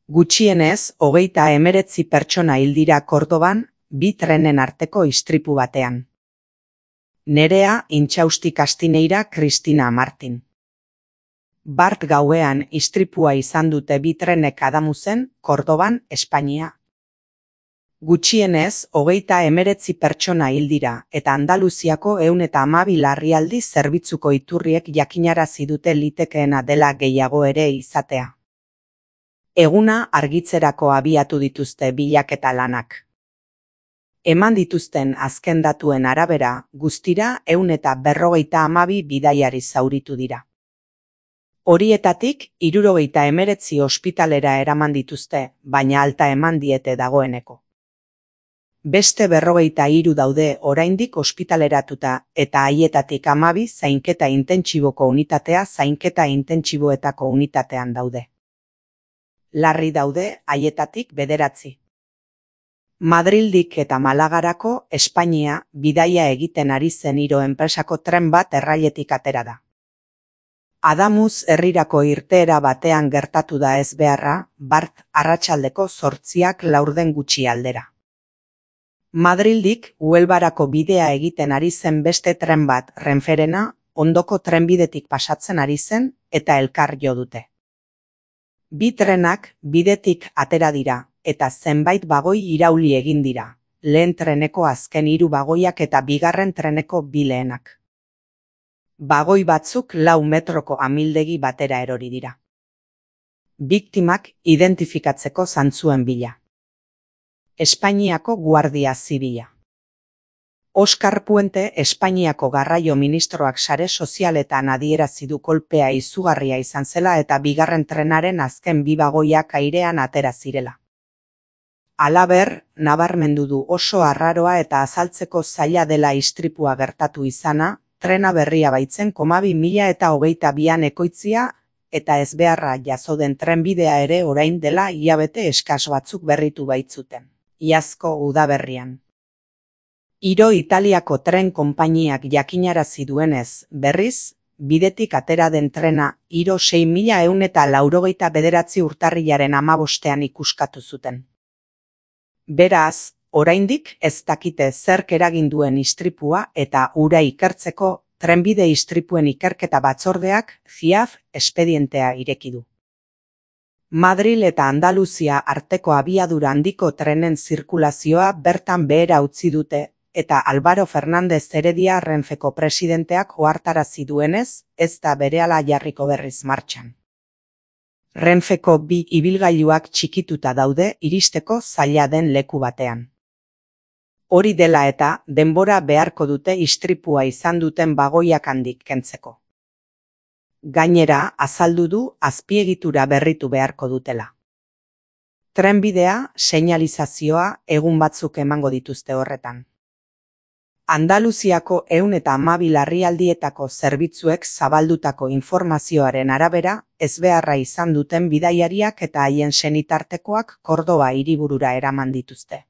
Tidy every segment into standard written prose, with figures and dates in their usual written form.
Gutxienez, 39 pertsona hil dira Kordoban, 2 trenen arteko istripu batean. Nerea Intxausti Kastineira Kristina Martin. Bart gauean istripua izan dute 2 trenek Adamuzen, Kordoban, Espainia. Gutxienez, 39 pertsona hil dira eta Andaluziako 112 larrialdi zerbitzuko iturriek jakinarazi dute litekeena dela gehiago ere izatea. Eguna argitzerako abiatu dituzte bilaketa lanak. Eman dituzten azken datuen arabera, guztira 152 bidaiari zauritu dira. Horietatik, 79 ospitalera eraman dituzte, baina alta eman diete dagoeneko. Beste 53 daude oraindik ospitaleratuta eta haietatik 12 zainketa intentsiboko unitatea zainketa intentsiboetako unitatean daude. Larri daude haietatik 9. Madrildik eta Malagarako Espainia bidaia egiten ari zen Iro enpresako tren bat errailetik atera da. Adamuz herrirako irteera batean gertatu da ezbeharra, Bart arratsaldeko 8:04 gutxi aldera. Madrildik Huelbarako bidea egiten ari zen beste tren bat Renferena ondoko trenbidetik pasatzen ari zen eta elkar jo dute. 2 trenak bidetik atera dira eta zenbait bagoi irauli egin dira, lehen treneko azken 3 bagoiak eta bigarren treneko 2 lehenak. Bagoi batzuk 4 metroko amildegi batera erori dira. Biktimak identifikatzeko zantzuen bila. Espainiako Guardia Zibila. Oskar Puente Espainiako garraio ministroak sare sozialetan adierazi du kolpea izugarria izan zela eta bigarren trenaren azken 2 bagoiak airean atera zirela. Halaber, nabarmendu du oso arraroa eta azaltzeko zaila dela istripua gertatu izana, trena berria baitzen 2022an ekoitzia eta ezbeharra jazo den trenbidea ere orain dela hilabete eskas batzuk berritu baitzuten. Iazko udaberrian. Iro Italiako tren konpainiak jakinarazi duenez, berriz, bidetik atera den trena Iro 6189 urtarrilaren 15ean ikuskatu zuten. Beraz, oraindik ez dakite zerk eragin duen istripua eta hura ikertzeko trenbide istripuen ikerketa batzordeak FIAF espedientea ireki du. Madril eta Andaluzia arteko abiadura handiko trenen zirkulazioa bertan behera utzi dute eta Álvaro Fernández Heredia Renfeko presidenteak ohartarazi duenez, ez da berehala jarriko berriz martxan. Renfeko 2 ibilgailuak txikituta daude iristeko zaila den leku batean. Hori dela eta denbora beharko dute istripua izan duten bagoiak handik kentzeko. Gainera, azaldu du azpiegitura berritu beharko dutela. Trenbidea, seinalizazioa egun batzuk emango dituzte horretan. Andaluziako 112 larrialdietako zerbitzuek zabaldutako informazioaren arabera, ezbeharra izan duten bidaiariak eta haien senitartekoak Kordoba hiriburura eraman dituzte.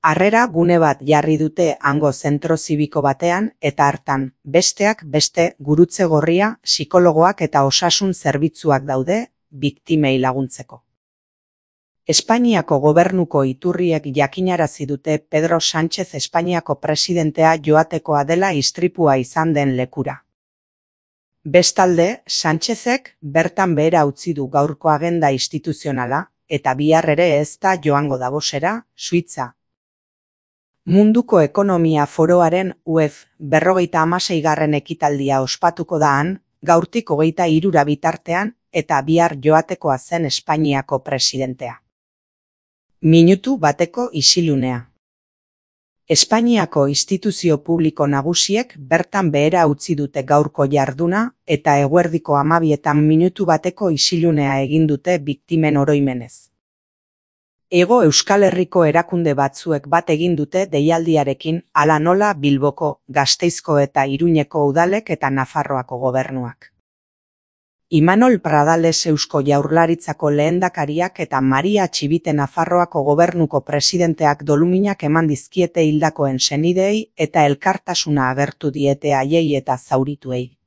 Harrera gune bat jarri dute hango zentro zibiko batean eta hartan, besteak beste gurutze gorria, psikologoak eta osasun zerbitzuak daude, biktimei laguntzeko. Espainiako gobernuko iturriek jakinarazi dute Pedro Sánchez Espainiako presidentea joatekoa dela istripua izan den lekura. Bestalde, Sánchezek bertan behera utzi du gaurko agenda instituzionala eta bihar ere ez da joango Davosera, Suitza. Munduko Ekonomia Foroaren UEF 56. ekitaldia ospatuko da han, gaurtik 23 bitartean eta bihar joatekoa zen Espainiako presidentea. Minutu bateko isilunea. Espainiako instituzio publiko nagusiek bertan behera utzi dute gaurko jarduna eta eguerdiko 12etan minutu bateko isilunea egin dute biktimen oroimenez. Hego Euskal Herriko erakunde batzuek bat egin dute deialdiarekin hala nola Bilboko, Gasteizko eta Iruñeko udalek eta Nafarroako gobernuak. Imanol Pradales Eusko Jaurlaritzako lehendakariak eta Maria Txibite Nafarroako gobernuko presidenteak doluminak eman dizkiete hildakoen senideei eta elkartasuna agertu diete haiei eta zaurituei.